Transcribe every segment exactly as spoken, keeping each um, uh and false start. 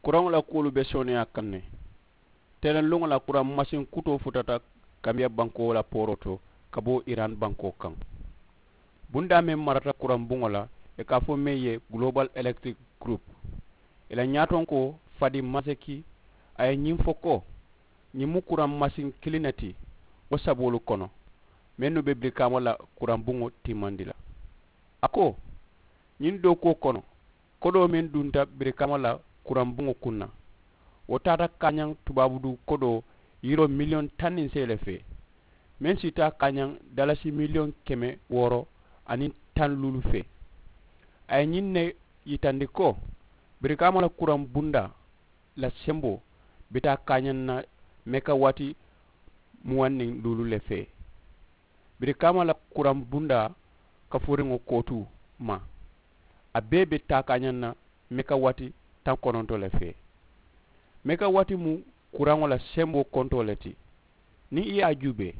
Kuraŋo la kuwolu be sooneyaa kaŋ ne. Telenluŋo la kuraŋ masiŋ kutoo futata kambiya bankoo la pooroo to ka bo iran bankoo kaŋ. Bundaa meŋ marata kuraŋ buŋo la, ì ka a fo meŋ ye global electric group, ì la ñaatonkoo fadi maseki a ye ñiŋ fo ko, ñiŋ mu kuraŋ masiŋ kiliŋ ne ti wo saboolu kono, mennu be birikaama la kuraŋ buŋo timmandi la. A ko, ñiŋ dookuwo kono, kodoo meŋ dunta birikaama la kuraŋ buŋo kuŋ na, wo taata kaañaŋ tubaabuduu kodoo yiroo miliyoŋ taŋ niŋ seyi le fee, meŋ si taa kaañaŋ dalasi miliyoŋ keme wooro aniŋ taŋ luulu fee. A ye ñiŋ ne yitandi ko, birikaama la kuraŋ bundaa la semboo be taa kaañaŋ na mekawati muwaŋ niŋ luulu le fee. Birikaama la kuraŋ bundaa kafuriŋo kootuu ma, a bee be taakaañaŋ na mekawati taŋ kononto le fee. Mekawati mu kuraŋo la semboo kontoo le ti. Niŋ i ye a juubee,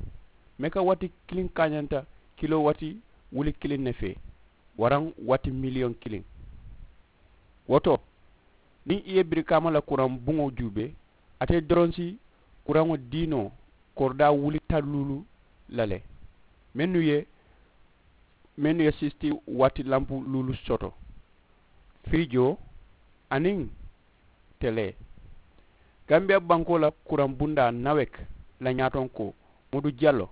mekawati kiliŋ kaañanta kilowati wuli kiliŋ ne fee, waraŋ wati miliyoŋ kiliŋ. Wo to, niŋ i ye birikaama la kuraŋ buŋo juubee, ate doroŋ si kuraŋo dii noo koridaa wuli taŋ luulu la le, mennu ye mennu ye sisiti wati lampu luulu soto, firijoo aniŋ telee. Gambiya bankoo la kuraŋ bundaa nawek la ñaatonkoo, mudu jallo,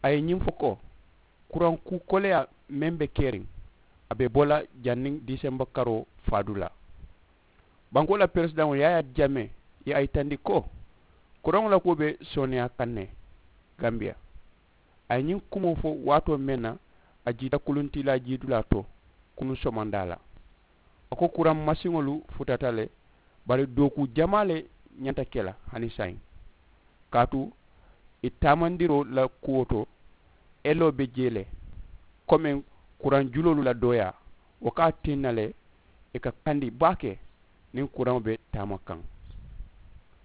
a ye ñiŋ fo ko, kuraŋ kuu koleyaa meŋ be keriŋ, a be bo la janniŋ disemba karoo faadulaa. Bankoo la peresidaŋo yaayaa jamee ye a yitandi ko, kuraŋo la kuwo be sooneyaa kaŋ ne gambiya. A ye ñiŋ kumoo fo waatoo meŋ na, a jiita kuluntiilaa jiidulaa to kunuŋ somandaa la. A ko kuraŋ masiŋolu futata le, bari dookuu jamaa le ñanta ke la hani saayiŋ. Kaatu ì taamandiroo la kuwo to, eloo be jee le, komeŋ kuraŋ juloolu la dooyaa, wo ka a tinna le ì ka kandi baake niŋ kuraŋo be taama kaŋ.